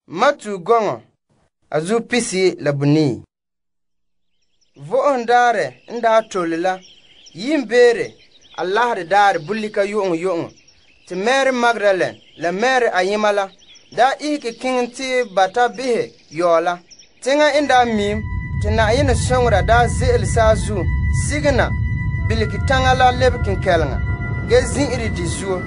Matu gɔŋɔ a zu pisi la bunii. Vo'ohom daarɛ n daa tole la, yiimbeere a laharɛ daarɛ bolika yu'uŋɔ yu'uŋɔ, te Mary Magdalene la Mary ayema la daa ihege keŋɛ te ba ta behɛ yɔɔ la. Teŋa n daa miim te Na'ayenɛ soŋora daa ze'ele saazuo sige na bilige taŋa la lebe kenkɛleŋa ge zin'ire di zuo.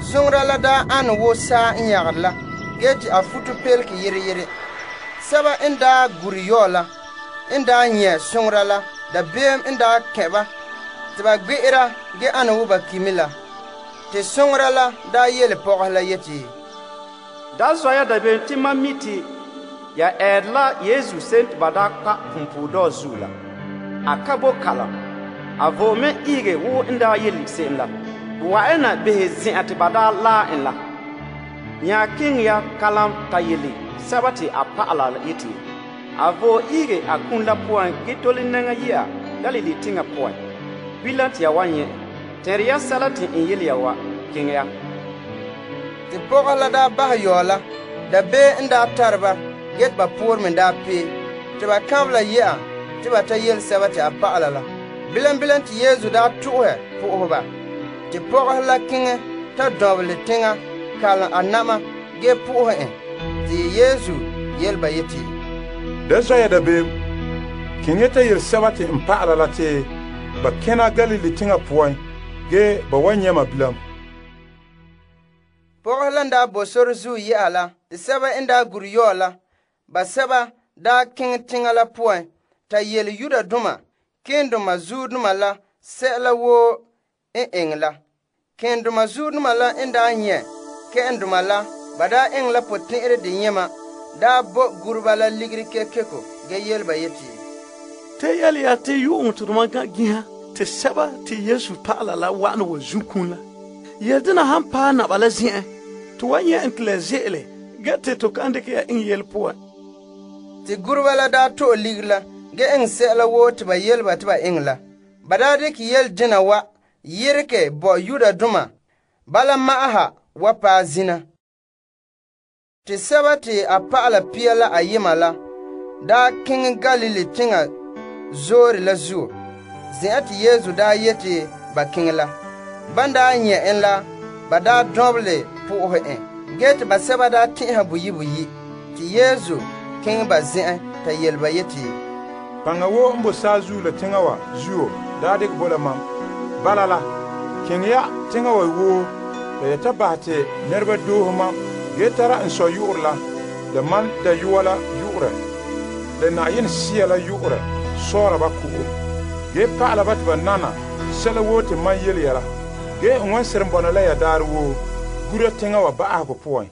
Soŋora la daa ane wo saa n yagere la, ge te a futo pelege yere yere. Sɛba n daa gure yɔɔ la n daa nyɛ' soŋora la, dabeem n daa kɛn ba te ba gbe'era ge ane wo ba kimi la. Te soŋora la daa yele pɔgɔhe la yeti, Da zɔ ya dabeem te mam mi te ya ɛɛre la Yesu se'em te ba daa kpa' punpuuredɔɔ zuo la. A ka bo kalam. A vo'e me ihege wo n daa yele se'em la. Bo wa'ana behɛ zen'an te ba daa laa en la. Nya keŋɛ ya kalam ta yele sɛba te a pa'ala la yeti, a vo'e ihege a kum la poan ge tole nɛŋa yi'a Galilee teŋa poan. Bilam te ya wan nyɛ. Tɛnre ya sɛla te n yele ya wa, keŋɛ ya. Te pɔgɔhe la daa bahɛ yɔɔ la, dabee n daa tare ba, ge te ba poore me daa pee, te ba kanbela yɛ'a te ba ta yele sɛba te a pa'ala la. Bilam bilam te Yesu daa to'ohɛ po'ohɛ ba. Te pɔgɔhe la keŋɛ ta dɔnbelɛ teŋa kalom a na'ma ge po'ohɛ en. Te Yesu yele ba yeti, Da zɔ ya dabeem, keŋɛ ta yele sɛba te n pa'ala la te ba kena Galilee teŋa poan, ge ba wan nyɛ ma bilam. Pɔgɔhe la daa bo sore zuo yɛ'a la, te sɛba n daa gure yɔɔ la, ba sɛba daa keŋɛ teŋa la poan ta yele Yudoma keendoma zuodoma la sɛla woo n eŋɛ la. Keendoma zuodoma la n daa nyɛ' kɛ'ɛndoma la ba daa eŋɛ la potɛn'ɛrɛ deyema daa bo gureba la ligiri kekeko ge yele ba yeti, Te yele ya te yu'uŋɔ te doma ga ginha te sɛba te Yesu pa'ala la wa'ana wa zukun la. Yele dena han paɛ naba la zen'en, to wan nyɛ en te la ze'ele ge te to kan dikɛ ya iŋɛ yele poan. Te gureba la daa to'e ligiri la ge eŋɛ sɛla woo te ba yele ba te ba eŋɛ la. Ba daa dikɛ yele dena wa yeregɛ bo Yudoma bala ma'aha wa paɛ zina. Te sɛba te a pa'ala pia la ayema la daa keŋɛ Galilee teŋa zoore la zuo, zen'an te Yesu daa yete ba keŋɛ la. Ban daa nyɛ' en la, ba daa dɔnbelɛ po'ohɛ en, ge te ba sɛba daa tɛn'ɛha boyi boyi. Te Yesu keŋɛ ba zen'en ta yele ba yeti, Paŋa wo n bo saazuo la teŋa wa zuo daa dikɛ bo la mam. Bala la, keŋɛ ya teŋa wa woo la ya ta bahɛ te nɛreba doohe mam ge tara n sɔ yu'urɛ la mam dayɔa la yu'urɛ la Na'ayenɛ Sea la yu'urɛ sɔɔra ba ko'o, ge pa'ala ba te ba nana sɛla woo te mam yele ya la. Ge n wan seren bɔna la ya daarɛ woo gura teŋa wa ba'ahegɔ poan.